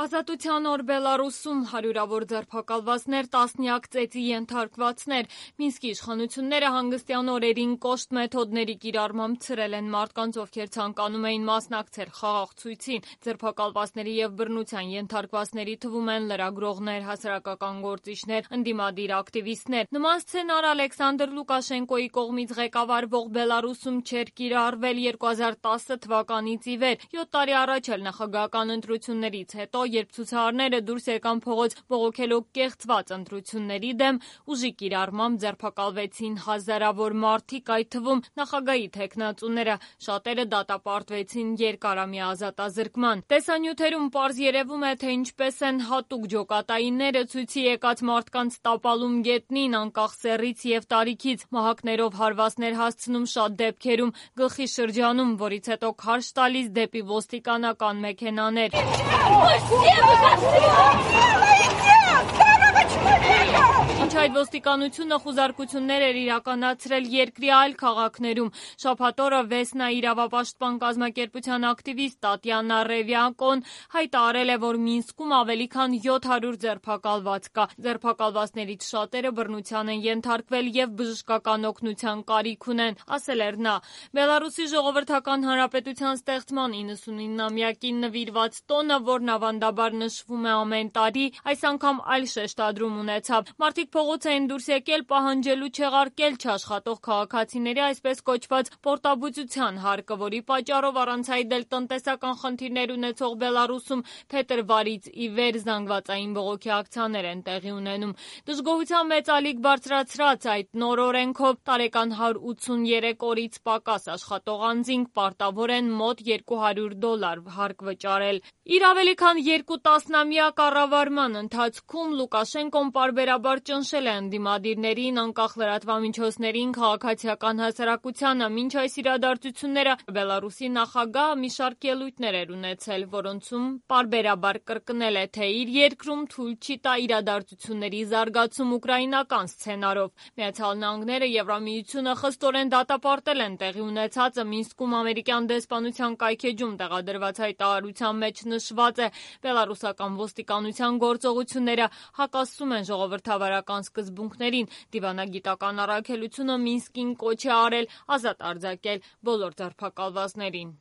Ազատության օր Բելարուսում հարյուրավոր ձերբակալվածներ, տասնյակ ծեծի ենթարկվածներ։ Մինսկի իշխանությունները հանգստյան օրերին կոշտ մեթոդների կիրառմամբ ցրել են մարդկանց, ովքեր ցանկանում էին մասնակցել խաղաղ ցույցին։ Ձերբակալվածների և բռնության ենթարկվածների թվում են լրագրողներ, հասարակական գործիչներ, ընդդիմադիր ակտիվիստներ։ Նման սցենար Ալեքսանդր Լուկաշենկոյի կողմից ղեկավարվող Բելարուսում չէր կիրառվել 2010 թվականից ի վեր։ 7 տարի առաջ էլ նախագահական ընտրություններից հետո, երբ ցուցարարները դուրս եկան փողոց բողոքելով կեղծված ընտրությունների դեմ, ուժի կիրառմամբ ձերբակալվեցին հազարավոր մարդիկ, այդ թվում նախագահի թեկնածուները, շատերը դատապարտվեցին երկարամյա ազատազրկման։ Տեսանյութերում պարզ երևում է, թե ինչպես են հատուկ ջոկատայինները ցույցի եկած մարդկանց տապալում գետնին, անկախ սեռից և տարիքից, մահակներով հարվածներ հասցնում, շատ դեպքերում գլխի շրջանում, որից հետո քարշ տալիս դեպի ոստիկանական մեքենաներ։ Ինչ այդ ոստիկանությունը խուզարկություններ էր իրականացրել երկրի այլ քաղաքներում։ Շաբաթ օրը Վեսնա իրավապաշտպան կազմակերպության ակտիվիստ Տատյանա Ռևյակոն հայտարարել է, որ Մինսկում ավելի քան 700 ձերբակալված կա։ Ձերբակալվածներից շատերը բռնության են ենթարկվել և բժշկական օգնության կարիք ունեն, ասել էր նա։ Բելարուսի ժողովրդական հանրապետության ստեղծման 99-ամյակին նվիրված տոնը, որն ավանդաբար նշվում է ամեն տարի, այս անգամ այլ շեշտադրում ունեցավ։ Մարդիկ փողոց էին դուրս եկել պահանջելու չեղարկել չաշխատող քաղաքացիների այսպես կոչված պորտաբուծության հարկը, որի պատճառով առանց այդ էլ տնտեսական խնդիրներ ունեցող Բելարուսում փետրվարից ի վեր զանգվածային բողոքի ակցիաներ են տեղի ունենում։ Դժգոհության մեծ ալիք բարձրացրած այդ նոր օրենքով տարեկան 183 օրից պակաս աշխատող անձինք պարտավոր են մոտ $200 հարկ վճարել։ Իր ավելի քան 2 տասնամյա կառավարման ընթացքում Լուկաշենկոն պարբերաբար ճնշել է ընդդիմադիրներին, անկախ լրատվամիջոցներին, քաղաքացիական հասարակությանը։ Մինչ այս իրադարձությունները Բելարուսի նախագահը մի շարք ելույթներ էր ունեցել, որոնցում պարբերաբար կրկնել է, թե իր երկրում թույլ չի տա իրադարձությունների զարգացում ուկրաինական սցենարով։ Միացյալ Նահանգները, Եվրամիությունը խստորեն դատապարտել են տեղի ունեցածը։ Մինսկում ամերիկյան դեսպանության կայքեջում տեղադրված հայտարարության մեջ նշված է. բելարուսական ոստիկանության գործողությունները հակասում են ժողովրդավարական սկզբունքներին։ Դիվանագիտական առաքելությունը Մինսկին կոչ է արել ազատ արձակել բոլոր ձերբակալվածներին։